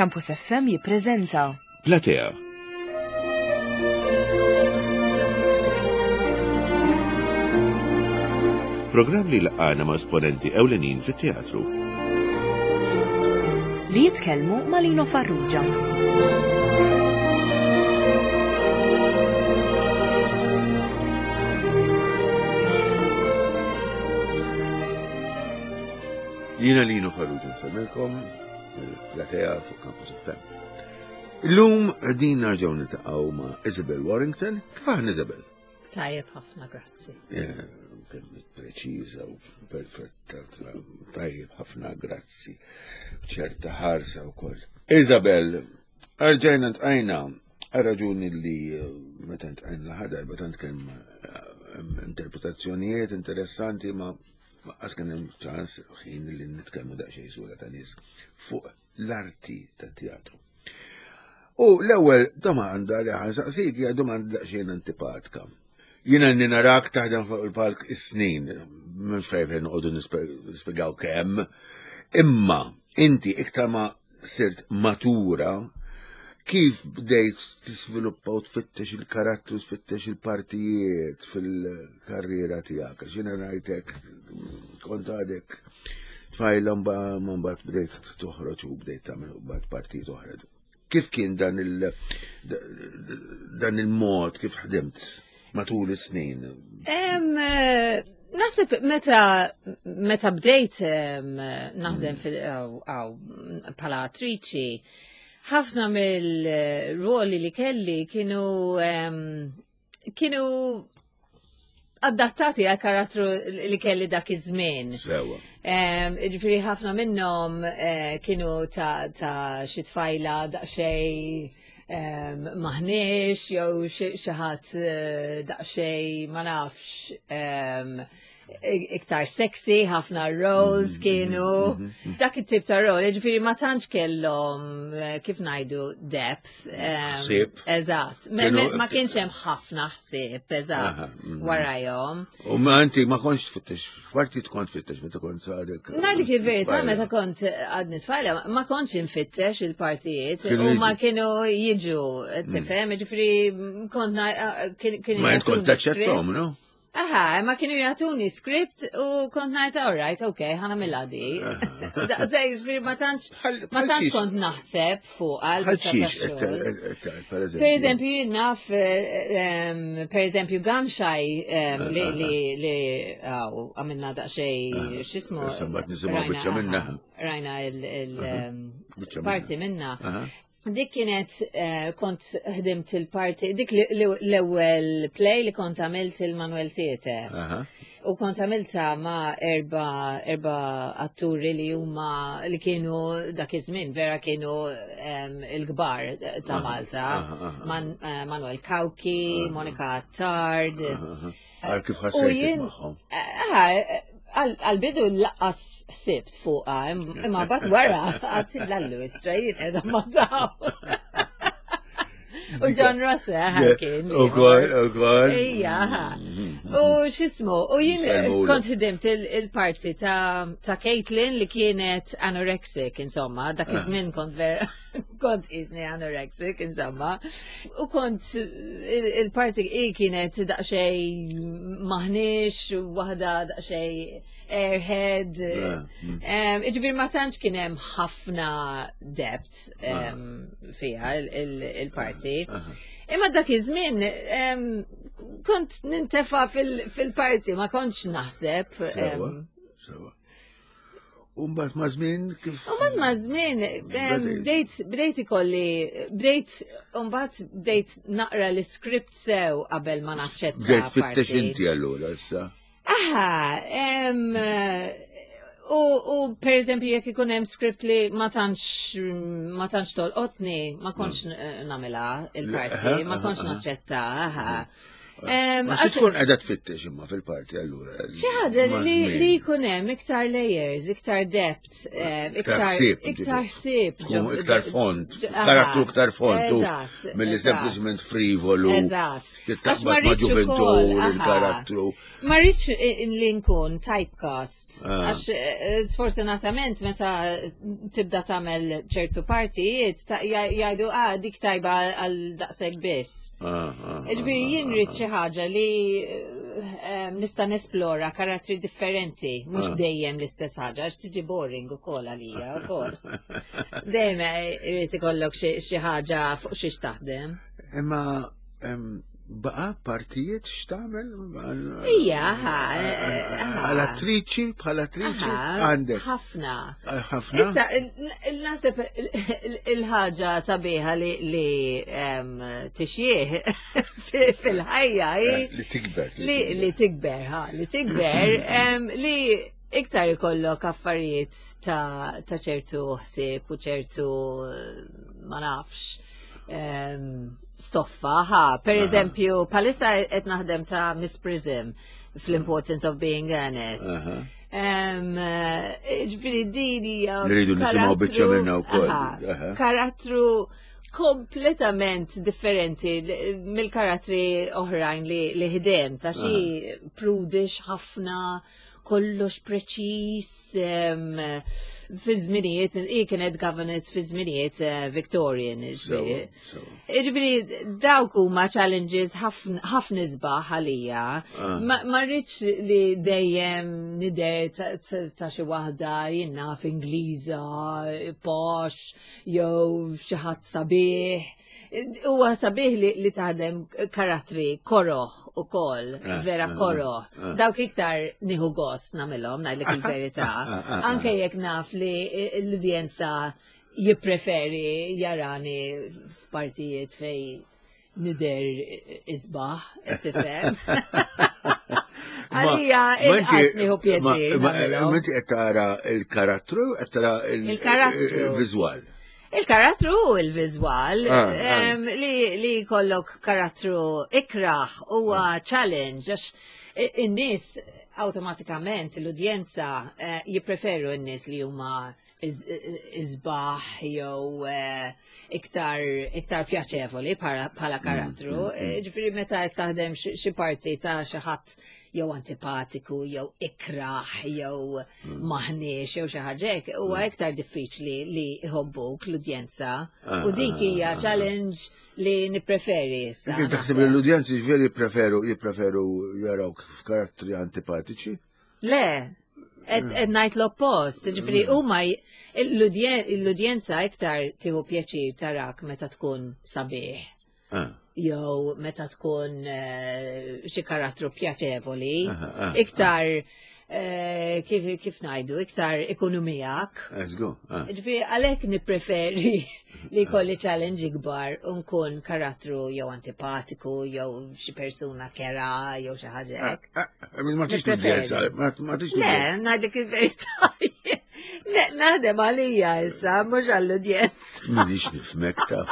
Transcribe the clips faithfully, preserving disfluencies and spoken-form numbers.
Campus F M jippreżenta Platea. Programm li laqana ma' esponenti ewlenin fit-teatru. Li jitkellmu ma' Lino Farrugia. Jiena Lino Farrugia, nsellmilkom il-Platea fuq Campus F M. Illum din nerġgħu niltaqgħu ma' Isabel Warrington. Kif aħna, Isabel? Tajjeb ħafna, grazzi. Eh, Kemm preċiża u perfetta, tajjeb ħafna, grazzi. ċerta ħarsa wkoll. Isabel, erġajna ltqajna għal raġuni li eh, meta ltqajna l-aħħar darba tant kemm eh, interpretazzjonijiet interessanti ma ma qas kien hemm ċans ħin li nitkellmu daqsxejn sura ta' nies fuq l-arti tat-teatru. U l-ewwel domanda li ħa nsaqsik hija domanda daqsxejn antipatika. Jiena li narak taħdem fuq il-palk is-snin, minn fejn noqogħdu nispjegaw kemm, imma inti iktar ma sirt matura, kif bdejt tisviluppa u tfittex il-karattru, tfittex il-partijiet fil-karriera tiegħek? Għax jiena rajtek kont għadek tfajla, ma mbagħad bdejt toħroġ u bdejt tagħmel mbagħad partijiet oħra. Kif kien dan il dan il-mod kif ħdimt matul is-snin? Em, eh, Naħseb meta meta bdejt em, naħdem fil aw bħala attriċi, ħafna mill-ruoli li kelli kienu em, kienu adattati għal karattru li kelli dak iż-żmien. Sewa. Em, Ġifieri ħafna minnhom eh, kienu ta' ta' xi tfajla daqsxejn em, maħniex jew xi xi ħadd eh, daqsxejn, ma nafx, em, iktar sexy, ħafna roles kienu. Dak it-tip ta' role, ġifieri ma tantx kellhom eh, kif ngħidu, depth. em, Ħsieb. Eżatt. Me- Kienu- me- Ma kienx hemm ħafna ħsieb, eżatt, Aha, mhm. warajhom. U ma inti ma kontx tfittex, partit kont tfittex meta kont għadek? Ngħidlek il-verità, meta kont għadni tfajla, ma kontx infittex il-partijiet, Kienu u ma jiġu. kienu jiġu, tifhem, ġifieri kont na- kien kienu Ma int kont jagħtuni taċċettom, script. no? Aha, ma kienu jagħtuni script u kont ngħid, "All right, okay, ħa nagħmilha di." Daqshekk, ġifieri ma tantx Bħal- ma bħal tantx xiex? kont naħseb fuq għal Bħal biċċa xiex, tax-xogħol. per eżempju? Per eżempju, jien naf, eh, em, per eżempju, Gun Shy, em, li li li għaw, għamilna daqsxejn, x'jismu? Issa mbagħad nisimgħu Rajna, biċċa minna. aha, Rajna Biċċa il-parti minna. Aha. Dik kienet eh, kont ħdimt il-parti, dik li- li- l-ewwel play li kont għamilt il-Manuel Theatre. Aha. U kont għamilta ma' erba, erba atturi li huma li kienu dak iż-żmien vera kienu em, il-kbar ta' Malta. aha, aha. Man, eh, Manuel Cauchi, Monica Attard. Aha. Għal kif U ħassejtek jien- magħhom? Ah, Għal-bidu lanqas ħsibt fuqha, imma mbagħad wara għedt, "Lallu, istra jien qiegħda ma' daw." U John Rossa kien. U kol, u kol. Ija, ha. U x'jismu, u jien Nsellmulu. kont ħdimt il- il-parti ta' ta' Caitlin li kienet anorexic, insomma, dak iż-żmien kont vera, kont iżni anorexic, insomma. U kont il- il-parti i kienet daqsxejn maħniex, u waħda daqsxejn airhead. Ah, Um, Ġifieri ma tantx kien hemm ħafna depth um, fiha il- il- il-parti. Imma dak iż-żmien em, kont nintefa fil- fil-parti, ma kontx naħseb. Sewa, em, sewa. U mbagħad ma' żmien kif? U mbagħad ma' żmien em, Bdejt. bdejt bdejt ikolli bdejt u mbagħad bdejt naqra l-script sew qabel ma naċċetta. Bdejt tfittex parti. inti allura issa. Aha, em, u, u per eżempju jekk ikun hemm script li ma tantx ma tantx tolqotni, ma kontx n- nagħmilha il-parti, Aha, ma kontx aha, naċċetta, aha. Em, Ma xi għax- tkun qiegħda tfittex imma fil-parti allura? Xi ħaġa Ma' li żmien. li jkun hemm iktar layers, iktar depth, em, Iktar iktar ħsieb, iktar ġifieri. ħsieb. Tkun ġo- iktar fond, ġo- aha. karattru iktar fond, u Eżatt, milli eżatt. sempliċement frivolu. Eżatt. Għax ma Taqbad ma' rridx ukoll, ġuventur, aha. il-karattru. Ma rridx i- li nkun typecast, Ah. għax eh, sfortunatament meta tibda tagħmel ċertu partijiet ta- ja- jgħidu ah dik tajba għal daqshekk biss. Ah, ah, Ġifieri jien rrid xi ħaġa li eh, nista' nesplora karattri differenti, mhux Ah. dejjem l-istess ħaġa, għax tiġi boring ukoll għalija ukoll. Dejjem irid ikollok xi xi ħaġa fuq xiex taħdem. Imma em, baqa partijiet x'tagħmel? Ija, ha, eh, ha. Għal attriċi, bħal attriċi, Aha, għandek. Ħafna. Ħafna. Issa, naħseb il-ħaġa sabiħa li li em, tixjieħ fil-ħajja hi Eh, Li tikber. li li tikber, ha, li tikber, em, li iktar ikollok affarijiet ta' ta' ċertu ħsieb u ċertu eh, ma nafx em, stoffa, ha, per eżempju, bħalissa qed naħdem ta' Miss Prism fl-Importance of Being Earnest. Aha. Em, eh, Ġifieri din hija Nridu nisimgħu biċċa karattru- minnha wkoll. Aha, Aha. Karattru kompletament differenti mill-karattri oħrajn li, li ħdem, ta' xi prudish ħafna, kollox preċis, em, fi żminijiet, hi kienet governess fi żminijiet eh, Victorian. Sewa, ġifieri. sewa. Ġifieri, dawk huma challenges ħafna ħafna isbaħ għalija. Ah. Ma ma rridx li dejjem nidher ta- ta ta' xi waħda jien naf Ingliża, posh, jew xi ħadd sabiħ. Huwa sabiħ li, li taħdem karattri koroħ ukoll, Ah, vera ah, koroħ. ah. Dawk iktar nieħu gost nagħmilhom, ngħidlek il-verità. ah, ah, Anke jekk naf li l-udjenza jippreferi jarani f'partijiet fej nidher isbaħ, tifhem. Għalija, inqas nieħu pjaċir. Ma nagħmilhom. inti qed tara il-karattru, qed tara Il-karattru. il-viżwal. Il-karattru u il-viżwal, Ah, ah. em, li, li kollok karattru ikraħ huwa challenge, għax i- in-nies automatikament l-udjenza eh, jippreferu n-nies li huma iz- isbaħ jew eh, iktar iktar pjaċevoli bħala bħala karattru. Eh, Ġifieri meta qed taħdem xi xi parti ta' xi ħadd jew antipatiku, jew ikraħ, jew maħniex, jew xi ħaġa hekk, huwa iktar diffiċli li jħobbuk l-udjenza. Ah, U dik hija challenge li nippreferi issa. Inti taħseb li l-udjenzi ġifieri jippreferu jippreferu jarawk f'karattri antipatiċi? Le, qed qed ngħid l-oppost, ġifieri huma j- l-udjen- l-udjenza iktar tieħu pjaċir tarak meta tkun sabiħ. Ah, Jew meta tkun eh, xi karattru pjaċevoli, Aha, ah, iktar eh, kif, kif ngħidu, iktar ikunu miegħek. Let's go. Ah. Ġifieri għalhekk nippreferi li kolli challenge ikbar u nkun karattru jew antipatiku jew xi persuna kera jew xi ħaġa hekk. Ah, ah, Ma tix Nippreferi. l-udjenza, ma ma tix Le, ngħidlek il-verità. Ne, Naħdem għalija issa, mhux għall-udjenza. Minix nifhmek ta'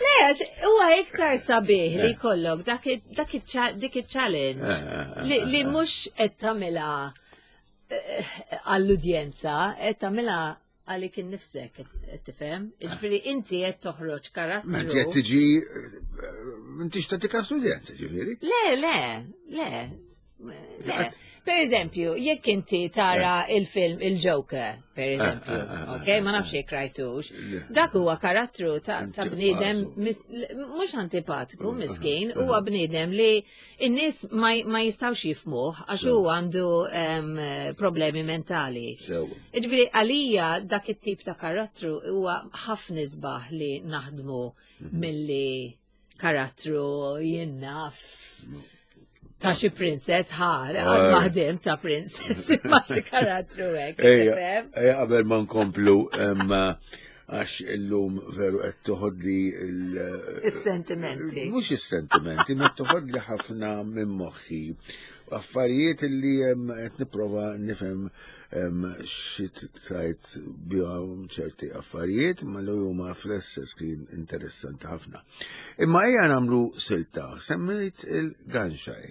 Le, għax huwa iktar sabiħ li jkollok dak i- dak iċ- dik il-challenge li, li mhux qed tagħmilha eh, għall-udjenza, qed tagħmilha għalik innifsek, qed tifhem? Ġifieri inti qed toħroġ Ma inti qed karattru. tiġi m'intix tagħti kas l-udjenza ġifieri. Le, le, le. Le. Per eżempju, jekk inti tara il-film Il-Joker, per eżempju, ah, ah, ok, ma nafx jekk rajtux, dak huwa karattru ta' ta' bniedem mis- mhux antipatiku, miskin, huwa bniedem li n-nies ma ma jistgħux jifhmuh għax hu għandu em, problemi mentali. Sewa. Ġifieri, għalija dak it-tip ta' karattru huwa ħafna isbaħ li naħdmu milli karattru jien naf ta' xi princess, ħa, għad ma ħdimt ta' princess, ma xi karattru hekk. Ejja, tifhem? ejja, qabel ma nkomplu em, Għax illum veru qed toħodli il- Is-sentimenti. Mhux is-sentimenti, ma toħodli ħafna minn moħħi. Affarijiet li em, qed nipprova nifhem em, xi tajt bihom ċerti affarijiet, ma li huma fl-istess kien interessanti ħafna. Imma ejja nagħmlu silta, semmejt il-Gun Shy.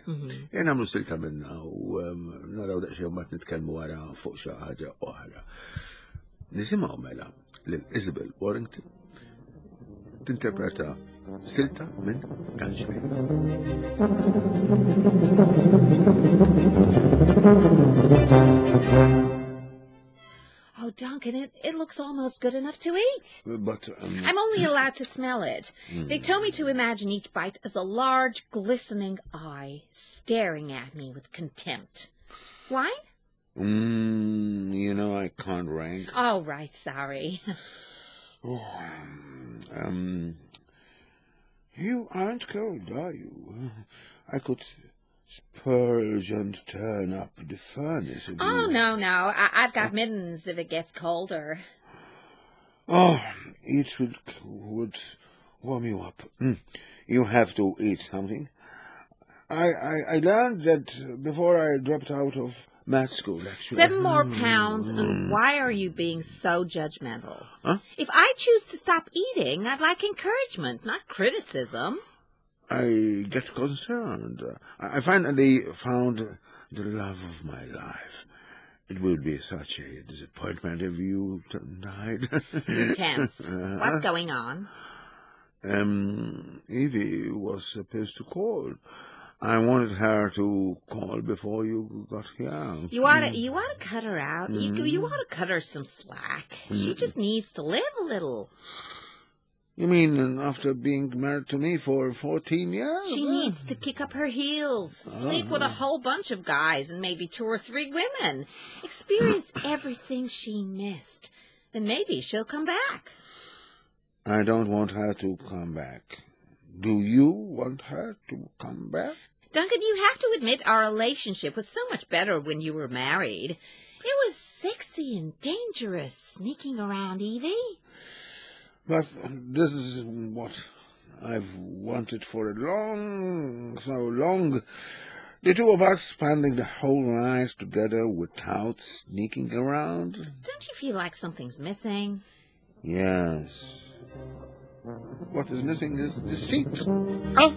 Ejja nagħmlu silta minna u em, naraw daqsxejn mbagħad nitkellmu wara fuq xi ħaġa oħra. Nisimgħu mela lil Isabel Warrington tinterpreta silta minn Gun Shy. Oh, Duncan, it, it looks almost good enough to eat. But um, I'm only allowed to smell it. They told me to imagine each bite as a large, glistening eye staring at me with contempt. Wine? mm, you know I can't rank. Oh, right, sorry. Um, you aren't cold, are you? I could spurge and turn up the furnace. If Oh, you... no, no. I- I've got mittens if it gets colder. Oh, it would, would warm you up. Mm. You have to eat something. I, I, I learned that before I dropped out of math school, actually. Seven more pounds, and why are you being so judgmental? Huh? If I choose to stop eating, I'd like encouragement, not criticism. I get concerned. I I finally found the love of my life. It would be such a disappointment if you t- died. You're tense. What's going on? Um, Evie was supposed to call. I wanted her to call before you got here. You ought to, you ought to cut her out. You, you ought to cut her some slack. She just needs to live a little. You mean after being married to me for fourteen years? She needs to kick up her heels, sleep with a whole bunch of guys and maybe two or three women, experience everything she missed. Then maybe she'll come back. I don't want her to come back. Do you want her to come back? Duncan, you have to admit our relationship was so much better when you were married. It was sexy and dangerous sneaking around Evie. But this is what I've wanted for a long, so long. The two of us spending the whole night together without sneaking around. Don't you feel like something's missing? Yes. What is missing is the seat. Oh!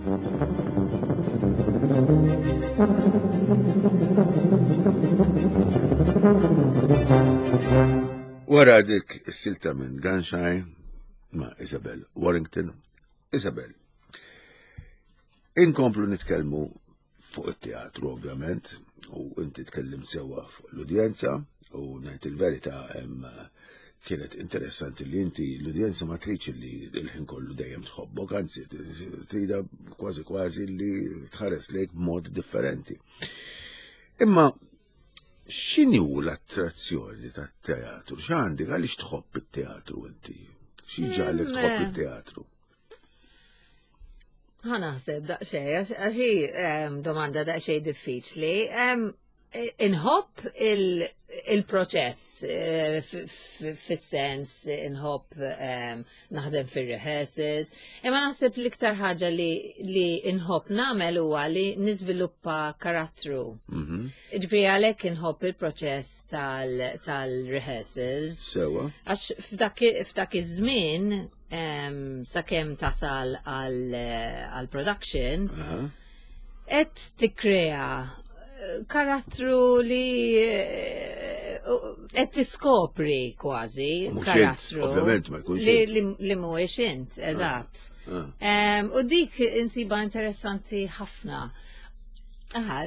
Wara dik is-silta minn Gun Shy ma' Isabel Warrington. Isabel, inkomplu nitkellmu fuq it-teatru ovvjament, u inti tkellimt sewwa fuq l-udjenza, u ngħid il-verità hemm kienet interessanti li inti l-udjenza ma tridx li l-ħin kollu dejjem tħobbok, anzi trida kważi kważi li tħares lejk b'mod differenti. Imma x'inhu l-attrazzjoni tat-teatru? X'għandek għaliex tħobb it-teatru inti? Xi ġagħlek tħobb it-teatru? Ħa naħseb daqsxejn, għax għax hi em, domanda daqsxejn diffiċli. Em, Inħobb il-proċess eh, f- f- fis-sens inħobb em, naħdem fir-rehearsals, imma naħseb l-iktar ħaġa li, li inħobb nagħmel huwa li niżviluppa karattru. Mhm. Ġifieri għalhekk inħobb il-proċess tal- tal-rehearsals. Sewa. Għax f'dak f'dak iż-żmien em, sakemm tasal għal għal production, Aha. qed tikkrea eh, karattru li eh, qed tiskopri kważi Mhux int, karattru. ovvjament ma jkunx li, int. li, li mhuwiex int, eżatt. Ah. Em, U dik insiba interessanti ħafna. Aha,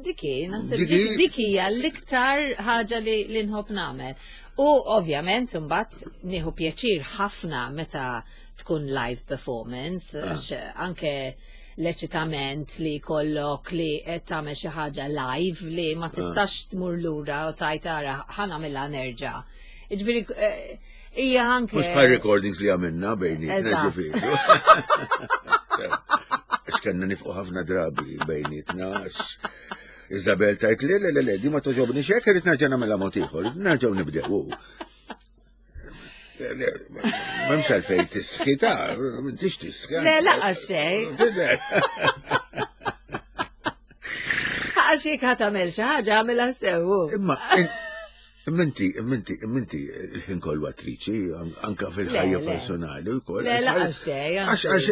diki, naħseb Diki- dik dik hija l-iktar ħaġa li, li nħobb nagħmel. U ovvjament imbagħad nieħu pjaċir ħafna meta tkun live performance, għax anke l-eċitament li kollok li qed tagħmel xi ħaġa live li ma tistax tmur lura u tajt ara ħa nagħmilha nerġa'. Jiġifieri eh, hija anke Mhux bħal recordings li għamilna bejnietna Eżatt. ġifieri. Għax kellna nifqu ħafna drabi bejnietna, għax Isabel tajt li le le le, di ma toġobni xek, irrid nerġa' nagħmilha mod ieħor, nerġgħu nibdew. M'hemmx għalfejn tisħi ta' m'intix tisħi. Le, laqas xejn. Tidher. Għax jekk ħa tagħmel xi ħaġa għamilha sew. Imma imma inti, imma inti, imma inti il-ħin kollu attriċi, an- anka fil-ħajja Le, le. personali u koll. Le, laqas xejn, Għax, għax,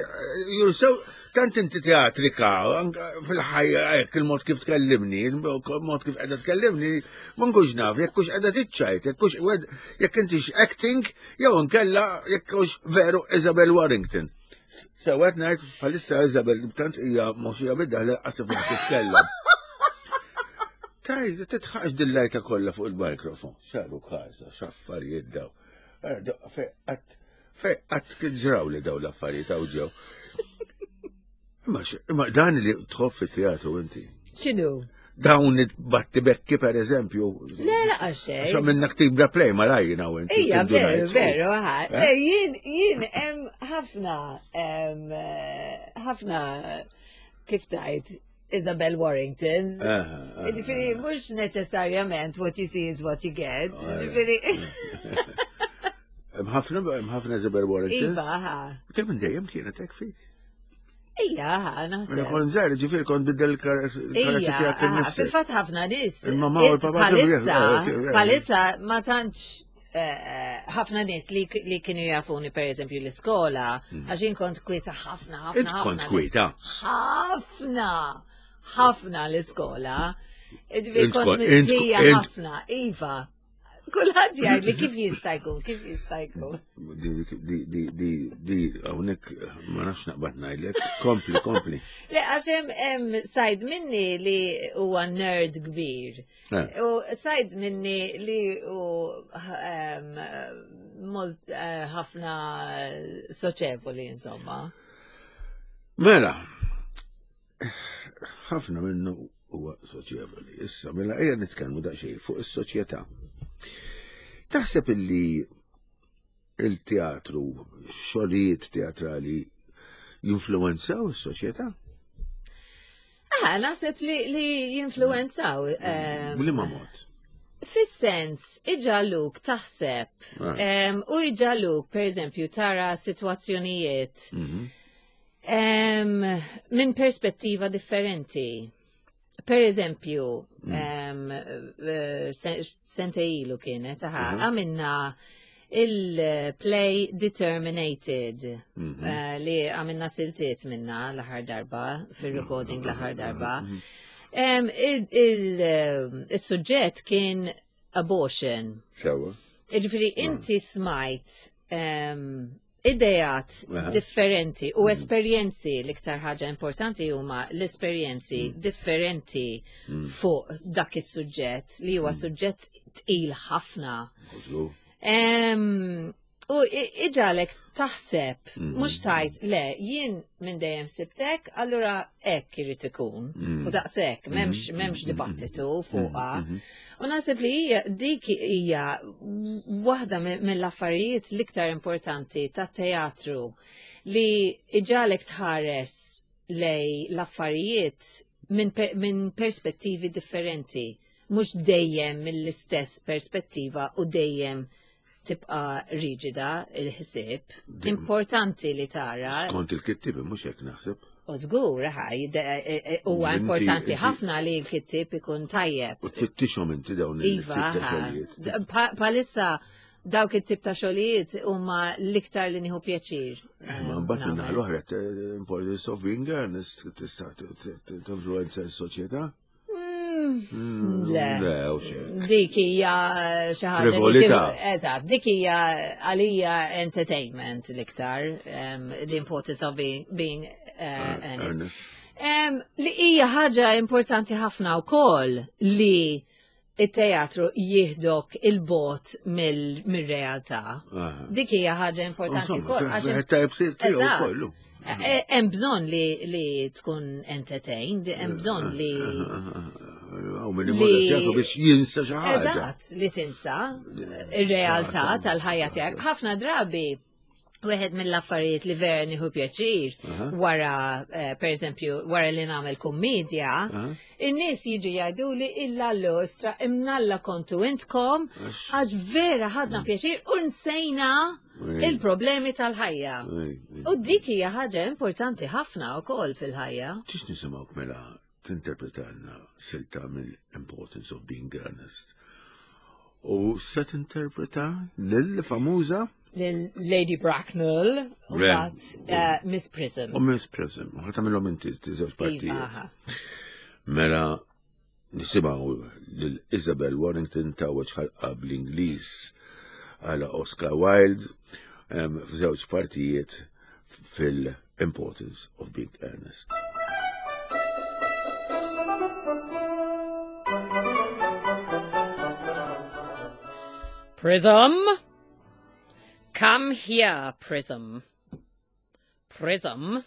you're so, tant inti teatrika, anka fil-ħajja, hekk il-mod kif tkellimni, il-mod kif qiegħda tkellimni, ma nkunx naf, jekk hux qiegħda tiċċajt, jekk hux jekk intix acting, jew nkella jekk hux veru Isabel Warrington. Sewet ngħid bħalissa Isabel tant hija moxija bidda li qasif ma titkellem. Taj, titħax dil-lajta kollha fuq il-mikrofon. Xaru kasa, x'affarijiet daw. Ara, daw, Fej qatt, fej qatt kien ġraw li daw l-affarijiet hawn ġew. Imma x- imma dan li tħobb fit-teatru inti. X'inhu? Dawn it-battibekki per eżempju. Le, laqas xejn. Għax minna ktibna play malajna u inti. Ija, veru, tindunajt. veru, ħa. Eh? Le, Jien, jien, hemm ħafna, em, eh, ħafna, kif tajt, Isabel Warringtons. Aha, aha. Ġifieri, mhux neċessarjament what you see is what you get. Ġifieri, Hemm ħafna hemm ħafna Isabel Warringtons. Iva, ħa. Kemm minn dejjem kienet hekk fik. Ija, ħa, Mela naħseb. kont żgħir, ġifieri kont biddel il-karatteri Ija, tiegħek aha, innifsek. fil-fatt ħafna nies. Il-mamma u l-papa kienu Palissa, jaf- eh, palissa ma tantx eh, ħafna nies li, li kienu jafuni per eżempju l-iskola, għax jien kont kwieta ħafna, ħafna. Hmm. Int ħafna kont l- kwieta? Ħafna, ħafna l-iskola. Ġifieri Int kont kont- int- mistija int- ħafna, iva. Kulħadd jgħid li kif jista' jkun, kif jista' jkun. Di, di, di, di, di, hawnhekk ma nafx naqbad ngħidlek. Kompli, kompli. Le, għax hemm hemm side minni li huwa nerd kbir. Eh. U side minni li hu em, molt eh, ħafna soċevoli, insomma. Mela, ħafna minnu huwa soċjevoli. Issa, mela ejja nitkellmu daqsxejn fuq is-soċjetà. Taħseb illi il-teatru, xogħlijiet teatrali jinfluwenzaw is-soċjetà? Ah, naħseb li, li jinfluwenzaw. em, B'liema mod? Fis-sens, iġagħluk taħseb Ah. em, u iġagħluk, per eżempju, tara situazzjonijiet Mhm. em, minn perspettiva differenti. Per eżempju, em, eh, sen- sentejn ilu kienet, aha, għamilna il-play Determinated, eh, li għamilna siltiet minna l-aħħar darba, fil-recording l-aħħar darba. Em, il- il- eh, Il-suġġett kien abortion. Sewwa. Ġifieri, inti smajt em, idejat Aha. differenti u esperjenzi l-iktar ħaġa importanti huma l-esperjenzi differenti fuq dak is-suġġett li huwa suġġett tqil ħafna. Żgur. Em, U i- iġagħlek taħseb, mhux tajt, le, jien minn dejjem sibtek, allura hekk irid ikun. U daqshekk, m'hemmx m'hemmx dibattitu fuqha. U naħseb li hija dik hija waħda mi- mill-affarijiet l-iktar importanti tat-teatru li iġagħlek tħares lej l-affarijiet minn pe min perspettivi differenti, mhux dejjem mill-istess perspettiva u dejjem tibqa riġida il-ħsieb. Importanti li tara. Skont il-kittibi, mhux hekk naħseb. U żgur, ħaj, e- e- huwa Inti- importanti inti- ħafna li l-kittib ikun tajjeb. U tfittixhom inti dawn Iva, il-tip ta' ħa. xogħlijiet. Pa- Palissa dawk it-tip ta' xogħlijiet huma l-iktar li nieħu pjaċir. Eh, Ma mbagħad nagħmel. minna l-oħra eh, importance of being earnest tista' tinfluwenza s-soċjetà? Mm, Le. Le, u xejn. Dik hija eh, xi ħaġa li Frivolità. kif- Eżatt, dik hija għalija entertainment l-iktar, um, the importance of being, being uh, earnest. Earnest. Um, li hija ħaġa importanti ħafna wkoll li it-teatru jieħdok il-bogħod mill-realtà. Aha. Dik hija ħaġa importanti Insomma, wkoll. għax wieħed tajb tiegħu Eżatt. kollu. E- Hemm bżonn li, li tkun entertained, hemm bżonn li Għaw minn imur teatru biex jinsa xi ħaġa. Eżatt, li tinsa ir-realtà tal-ħajja tiegħek. Ħafna drabi Wieħed mill-affarijiet li vera nieħu pjaċir wara, eh, per eżempju, wara li nagħmel kummedja, in-nies jiġu jgħidu li illa l-ostra imnalla kontu intkom għax vera ħadna pjaċir u nsejna il-problemi tal-ħajja. U dik hija ħaġa importanti ħafna wkoll fil-ħajja. Ġiex nisimgħuk mela tinterpretalna silta mill-Importance of Being Earnest. U se tinterpreta lil-famuża Lil Lady Bracknell u Re. mbagħad eh, Miss Prism. u Miss Prism. U ħa tagħmilhom inti żewġ Iva, partijiet. aha. Mela nisimgħu lil Isabel Warrington tgħawweġ ħalqha bl-Ingliż għala Oscar Wilde em, f'żewġ partijiet fil-Importance of Being Earnest. Prism? Come here, Prism. Prism,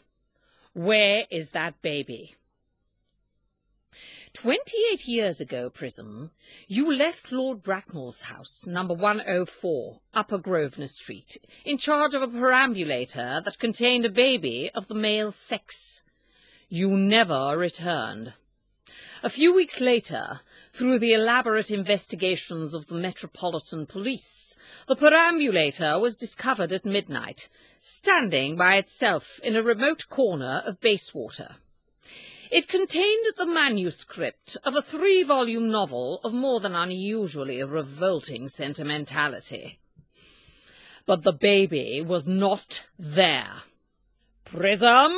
where is that baby? Twenty-eight years ago, Prism, you left Lord Bracknell's house, number one oh four, Upper Grosvenor Street, in charge of a perambulator that contained a baby of the male sex. You never returned. A few weeks later, through the elaborate investigations of the Metropolitan Police, the perambulator was discovered at midnight, standing by itself in a remote corner of Bayswater. It contained the manuscript of a three-volume novel of more than unusually revolting sentimentality. But the baby was not there. Prism,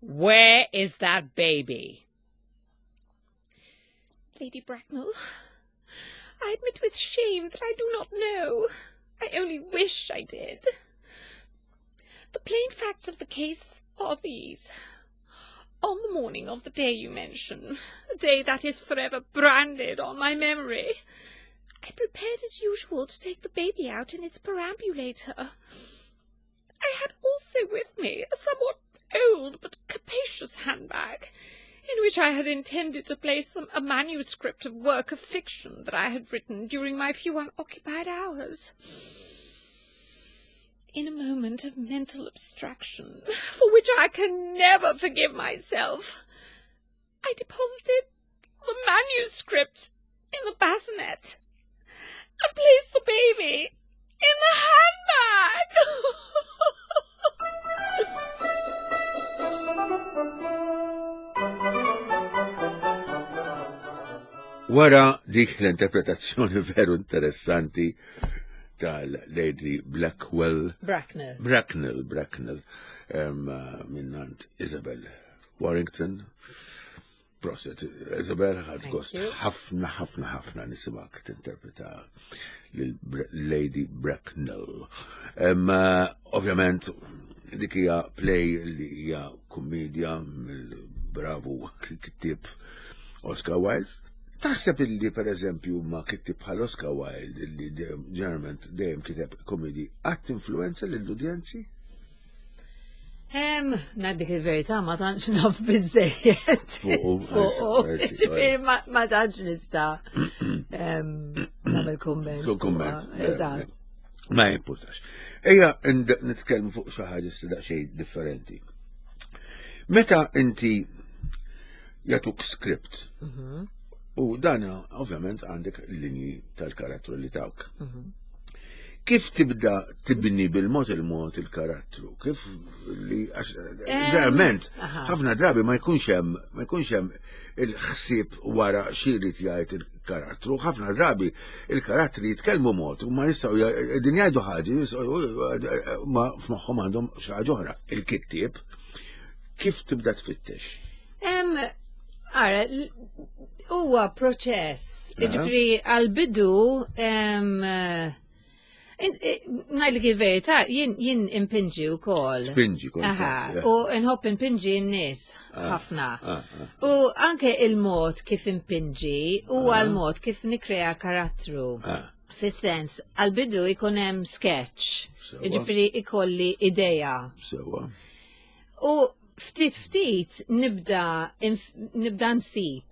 where is that baby? Lady Bracknell, I admit with shame that I do not know. I only wish I did. The plain facts of the case are these. On the morning of the day you mention, a day that is forever branded on my memory, I prepared as usual to take the baby out in its perambulator. I had also with me a somewhat old but capacious handbag, in which I had intended to place them a manuscript of work of fiction that I had written during my few unoccupied hours. In a moment of mental abstraction, for which I can never forgive myself, I deposited the manuscript in the bassinet and placed the baby in the handbag. Wara dik l-interpretazzjoni veru interessanti tal-Lady Blackwell, Bracknell. Bracknell, Bracknell, em, minnant Isabel Warrington. Proset, Isabel, ħad Thank gost you. ħafna, ħafna, ħafna nisimak tinterpreta lil Lady Bracknell. Em, eh, Ovvjament, dik hija play li hija kummedja mill-bravu kittib Oscar Wilde. Taħseb illi per eżempju ma kittib bħal Oscar Wilde illi dejjem- ġeneralment dejjem kiteb komedi għat influenza lill-udjenzi? Em, ngħidlek il-verità ma tantx naf biżejjed. Fuqu, Fuqu, I see, I see. ġifieri ma ma tantx nista' em, nagħmel kumment. Fuq kumment. fuqha. Eżatt. Ma jimpurtax. Ejja ind- nitkellmu fuq xi ħaġa issa daqsxejn differenti. Meta inti jagħtuk script u dana ovvjament għandek linji tal-karattru li tawk. Kif tibda tibni bil-mod il-mod il-karattru? Kif li għax verament aha. ħafna drabi ma jkunx hemm ma jkunx hemm il-ħsieb wara xi jrid jgħid il-karattru, ħafna drabi il-karattri jitkellmu mod u ma jistgħu din jgħidu ħaġa jistgħu- ma f'moħħhom għandhom xi ħaġa oħra. Il-kittieb kif tibda tfittex? Em, ara, l- huwa proċess. Ġifieri għal-bidu, em, eh, in- eh, ngħidlek il-verità, jien jien impinġi wkoll. Tpinġi kont. Aha, u nħobb impinġi n-nies ħafna. Ah, ah. U anke il-mod kif impinġi huwa l-mod kif nikrea karattru. Ah. Fis-sens, għal-bidu ikun hemm sketch, Sewa. ġifieri ikolli ideja. Sewa. U Ftit ftit nibda inf- nibda nsib,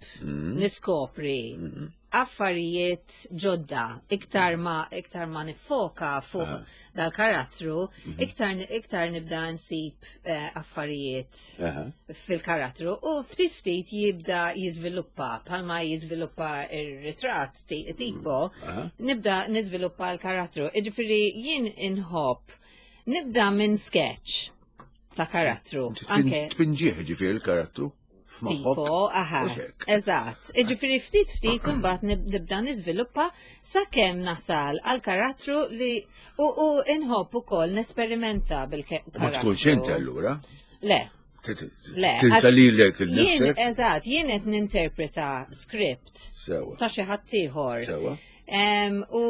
niskopri affarijiet ġodda, iktar ma iktar ma nifoka fuq dal-karattru, iktar iktar nibda nsib eh, affarijiet Aha. fil-karattru u ftit ftit jibda jiżviluppa bħalma jiżviluppa ir-ritratt ti- tipo Aha. nibda niżviluppa l-karattru. Iġifieri jien inħobb nibda minn sketch ta' karattru. Anke Tpinġih ġifieri il-karattru f'moħħok. tipo, aha, u hekk. eżatt. Iġifieri ftit ftit imbagħad nib- nibda niżviluppa sakemm nasal għal karattru li u, u inħobb ukoll nesperimenta bil-karattru. Ma tkunx inti allura. Le, Le, Tinsa għax lilek Jien, il-nifsek. eżatt, jien qed ninterpreta script Sewa. ta' xi ħadd ieħor. Sewa. Em, U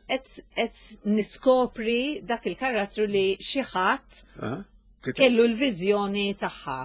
qed qed niskopri dak il-karattru li xi ħadd Aha. Kiteb. kellu l-viżjoni tagħha.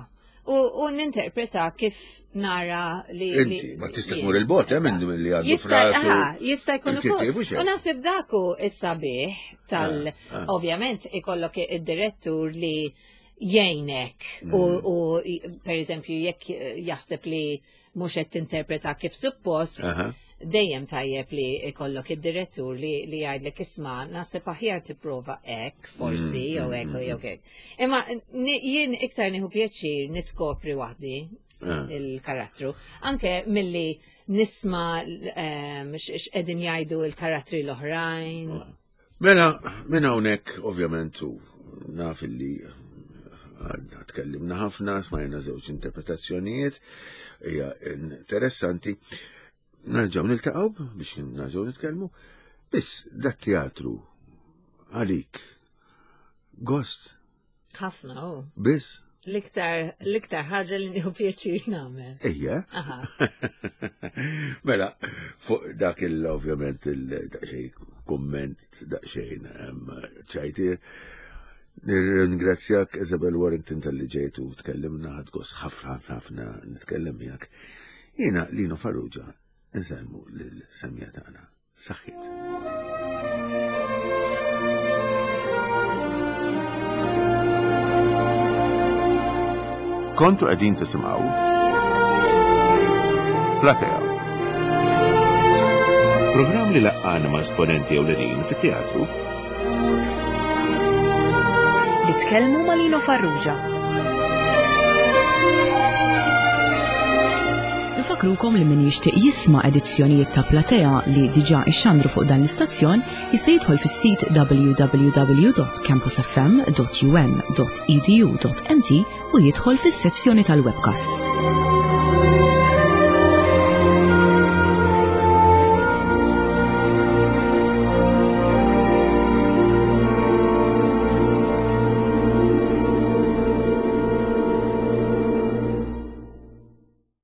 U, u ninterpreta kif nara li. Inti, li- ma tista' jien. tmur il-bot, eh, minn Eżatt. li għandu Jista' frasu aha, jista' jkun il-kittieb ukoll. u xejn. U naħseb daku is-sabiħ tal Ah, ah. ovvjament ikollok id-direttur li jgħinek u, Mm. u per eżempju jekk jaħseb li mhux qed tinterpreta kif suppost, Aha. dejjem tajjeb li ikollok id-direttur li, li jgħidlek isma' naħseb aħjar tipprova hekk forsi Mm, jew hekk jew hekk. Imma ni- jien iktar nieħu pjaċir niskopri waħdi Ah. il-karattru. Anke milli nisma' ehm, x- x'qegħdin jgħidu l-karattri l-oħrajn. Mela, minn hawnhekk ovvjament u naf illi għadna tkellimna ħafna, smajna żewġ interpretazzjonijiet, hija interessanti. Nerġgħu niltaqgħu biex nerġgħu nitkellmu. Biss dat teatru għalik gost Ħafna u. biss L-iktar l-iktar ħaġa li nieħu pjaċir nagħmel. ejja. Aha. Mela, fuq dak il ovvjament il-daqxej komment daqxejn em, ċajtir. Nirringrazzjak Isabel Warrington tal-li ġejt u tkellimna ħadt gost ħafna ħafna ħafna nitkellem miegħek. Jiena Lino Farrugia insellmu lil-semmiegħa tagħna. Saħħit. Kontu qegħdin tisimgħu Platea. Programm li laqqana ma' esponenti ewlenin fit-teatru Li tkellmu ma' Lino Farrugia. Nfakrukom li min jixtieq jisma' edizzjonijiet ta' Platea li diġà ixxandru fuq dan l-istazzjon jista' jidħol fis-sit w w w dot campusfm dot u n dot e d u dot m t u jidħol fis-sezzjoni tal-webcasts.